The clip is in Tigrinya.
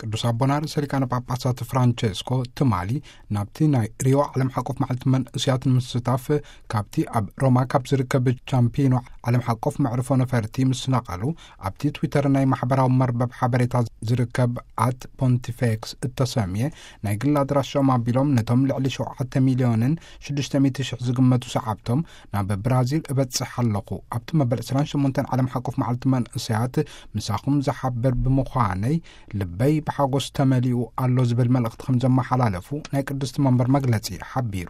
ቅዱስ ኣቦና ርእሰ ሊቃነ ጳጳሳት ፍራንቸስኮ ትማሊ ናብቲ ናይ ሪዮ ዓለም ሓቆፍ መዓልቲ መንእስያት ንምስታፍ ካብቲ ኣብ ሮማ ካብ ዝርከብ ቻምፒኖ ዓለም ሓቆፍ መዕርፎ ነፈርቲ ምስ ነቐሉ፣ ኣብቲ ትዊተር ናይ ማሕበራዊ መርበብ ሓበሬታ ዝርከብ ኣት ፖንቲፌክስ እተሰምየ ናይ ግል ኣድራሻኦም ኣቢሎም ነቶም ልዕሊ ሸውዓተ ሚልዮንን ሽዱሽተ ሚእቲ ሽሕ ዝግመቱ ሰዓብቶም ናብ ብራዚል እበጽሕ ኣለኹ። ኣብቲ መበል ዕስራን ሸሞንተን ዓለም ሓቆፍ መዓልቲ መንእስያት ምሳኹም ዝሓብር ብምዃነይ ልበይ ብሓጎስ ተመሊኡ ኣሎ ዝብል መልእኽቲ ከም ዘመሓላለፉ ናይ ቅድስቲ መንበር መግለጺ ሓቢሩ።